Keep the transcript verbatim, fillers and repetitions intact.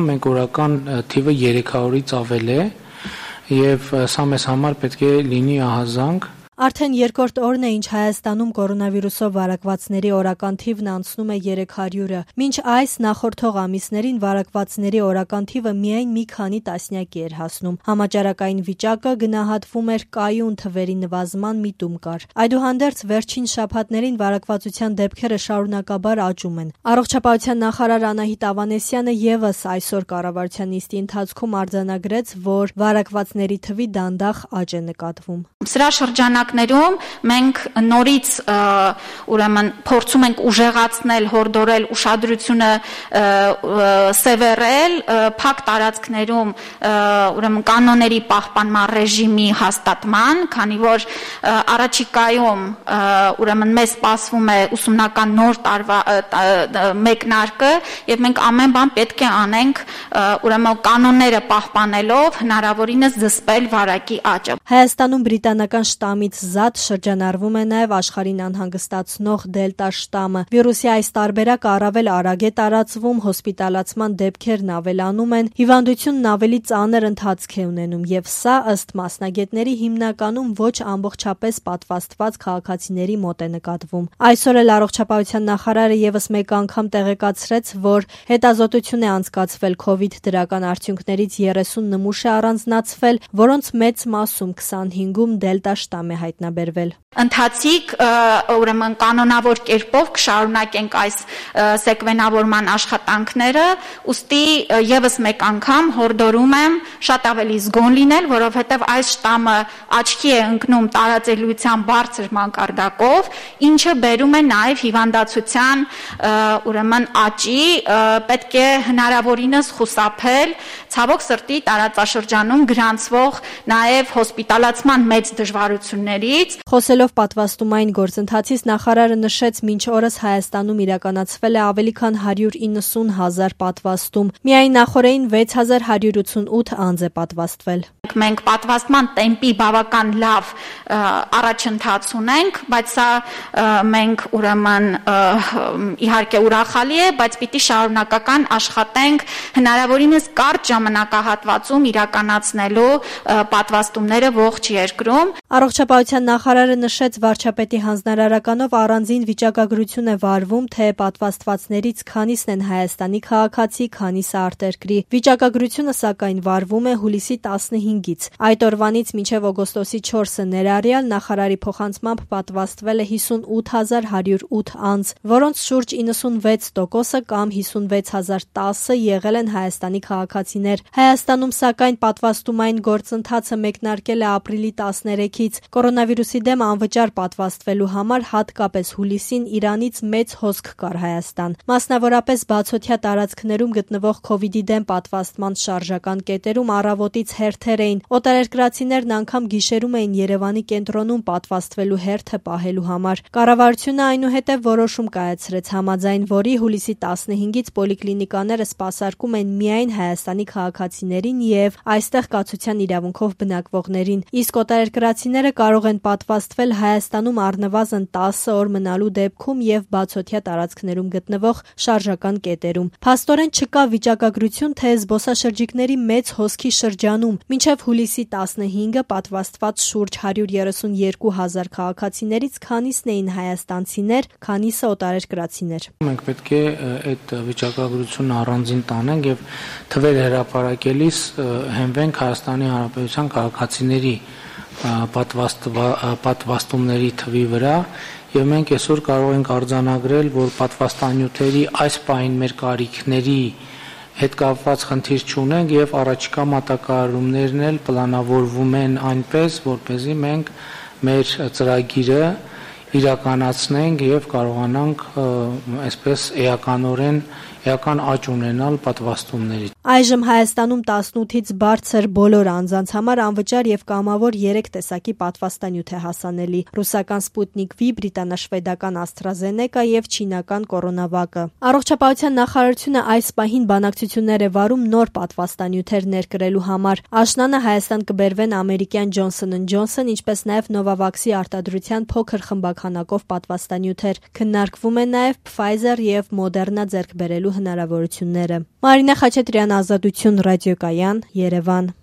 Մենք օրական թիվը երեք հարյուրից ավել է եւ սա մեզ համար պետք է լինի ահազանգ։ Արդեն երկրորդ օրն է, ինչ Հայաստանում կորոնավիրուսով վարակվածների օրական թիվն անցնում է երեք հարյուրը։ Մինչ այս նախորդող ամիսներին վարակվածների օրական թիվը միայն մի քանի տասնյակի էր հասնում։ Համաճարակային վիճակը գնահատվում էր կայուն թվերի նվազման միտում կար։ Այդուհանդերձ վերջին շաբաթներին վարակվածության դեպքերը շարունակաբար աճում են։ Առողջապահության նախարար Անահիտ Ավանեսյանը եւս այսօր կառավարության նիստի ընթացքում արձանագրեց, որ վարակվածների թվի դանդաղ աճ է նկատվում։ Սրա շրջանակներում մենք նորից ուրեմն փորձում ենք ուժեղացնել, հորդորել ուշադրությունը սևեռել փակ տարածքներում ուրեմն կանոնների պահպանման ռեժիմի հաստատման, քանի որ առաջիկայում ուրեմն մեզ սպասվում է ուսումնական նոր տարվա մեկնարկը եւ մենք ամեն բան պետք է անենք ուրեմն կանոնները պահպանելով հնարավորինս զսպել վարակի աճը։ Հայաստանում բրիտանական շտամից զատ շրջանառվում է նաև աշխարհին անհանգստացնող դելտա շտամը։ Վիրուսի այս տարբերակը առավել արագ է տարածվում, հոսպիտալացման դեպքերն ավելանում են, հիվանդությունն ավելի ծանր ընթացք է ունենում եւ սա ըստ մասնագետների հիմնականում ոչ ամբողջապես պատվաստված քաղաքացիների մոտ է նկատվում։ Այսօր էլ առողջապահության նախարարը եւս մեկ անգամ տեղեկացրեց, որ հետազոտություն է անցկացվել COVID դրական արդյունքներից երեսուն նմուշ է առանձնացվել, որոնց մեծ մասում քսանհինգում դելտա շտամ է հայտնաբերվել։ Ընթացիկ ուրեմն կանոնավոր կերպով կշարունակենք այս սեկվենավորման աշխատանքները, ուստի եւս մեկ անգամ հորդորում եմ շատ ավելի զգոն լինել, որովհետեւ այս շտամը աչքի է ընկնում տարածելիության բարձր մակարդակով, ինչը բերում է նաեւ հիվանդացության ուրեմն աճի, պետք է հնարավորինս խուսափել ցավոք սրտի տարածաշրջանում գրանցվող նաեւ հոսպիտալացման մեծ դժվարություններից։ Խոսելով պատվաստումային գործընթացից նախարարը նշեց, մինչ օրս Հայաստանում իրականացվել է ավելի քան հարյուր իննսուն հազար պատվաստում։ Միայն նախորդին վեց հազար հարյուր ութսունութ անձ է պատվաստվել։ Մենք պատվաստման տեմպի բավական լավ առաջընթաց ունենք, բայց սա մենք ուրեմն իհարկե ուրախալի է, բայց պիտի շարունակական աշխատենք հնարավորինս կարճ ժամանակահատվածում իրականացնելու պատվաստումները ողջ երկրում։ Առողջապահության նախարարը նշեց, վարչապետի հանձնարարականով առանձին վիճակագրություն է վարվում, թե պատվաստվածներից քանիսն են Հայաստանի քաղաքացի, քանիսը արտերկրի։ Վիճակագրությունը սակայն վարվում է հուլիսի տասնհինգից։ Այդ օրվանից մինչև օգոստոսի չորսը ներառյալ նախարարի փոխանցմամբ պատվաստվել է հիսունութ հազար հարյուր ութ անձ, որոնց շուրջ իննսունվեց տոկոսը կամ հիսունվեց հազար տասը եղել են Հայաստանի քաղաքացիներ։ Հայաստանում սակայն պատվաստումային գործընթացը մեկնարկել է ապրիլի տասներեքից։ Կորոնավիրուսի դեմ անվճար պատվաստվելու համար հատկապես հուլիսին Իրանից մեծ հոսք կար Հայաստան։ Մասնավորապես բացօթյա տարածքներում գտնվող COVID-ի դեմ պատվաստման շարժական կետերում առավոտից հերթեր էին։ Օտարերկրացիներն անգամ գիշերում էին Երևանի կենտրոնում պատվաստվելու հերթը պահելու համար։ Կառավարությունը այնուհետև որոշում կայացրեց, համաձայն որի հուլիսի տասնհինգից պոլիկլինիկաները սպասարկում են միայն Հայաստանի քաղաքացիներին եւ այստեղ կացության իրավունքով բնակվողներին, իսկ օտարերկրացիները կարող են պատվաստվել Հայաստանում առնվազն տասը օր մնալու դեպքում եւ բացօթյա տարածքներում գտնվող շարժական կետերում։ Փաստորեն չկա վիճակագրություն, թե զբոսաշրջիկների մեծ հոսքի շրջանում մինչև հուլիսի տասնհինգը պատվաստված շուրջ հարյուր երեսունյոթ հազար քաղաքացիներից քանիսն էին հայաստանցիներ, քանիսը օտարերկրացիներ։ Մենք պետք է այդ վիճակագրությունը առանձին տանենք եւ թվեր հրապարակելիս հենվենք Հայաստանի Հանրապետության քաղաքացիների պատվաստումների թվի վրա եւ մենք այսօր կարող ենք արձանագրել, որ պատվաստանյութերի այս պահին մեր կարիքների հետ կապված խնդիր չունենք եւ առաջիկա մատակարարումներն էլ պլանավորվում են այնպես, որպեսզի մենք մեր ծրագիրը իրականացնենք եւ կարողանանք այսպես էականորեն էական աճ ունենալ պատվաստումներից։ Այժմ Հայաստանում տասնութից բարձր բոլոր անձանց համար անվճար եւ կամավոր երեք տեսակի պատվաստանյութ է հասանելի՝ ռուսական Sputnik V, բրիտանաշվեդական AstraZeneca եւ չինական Coronavac-ը։ Առողջապահության նախարարությունը այս պահին բանակցություններ է վարում նոր պատվաստանյութեր ներկրելու համար։ Աշնանը Հայաստան կբերվեն ամերիկյան Johnson and Johnson, ինչպես նաեւ Novavax-ի արտադրության փոքր խմբաքանակով պատվաստանյութեր։ Քննարկվում է նաեւ Pfizer եւ Moderna ձեռք բերելու հնարավորությունները։ Մարինե Խաչատրյան, Ազատություն ռադիոկայան, Երևան։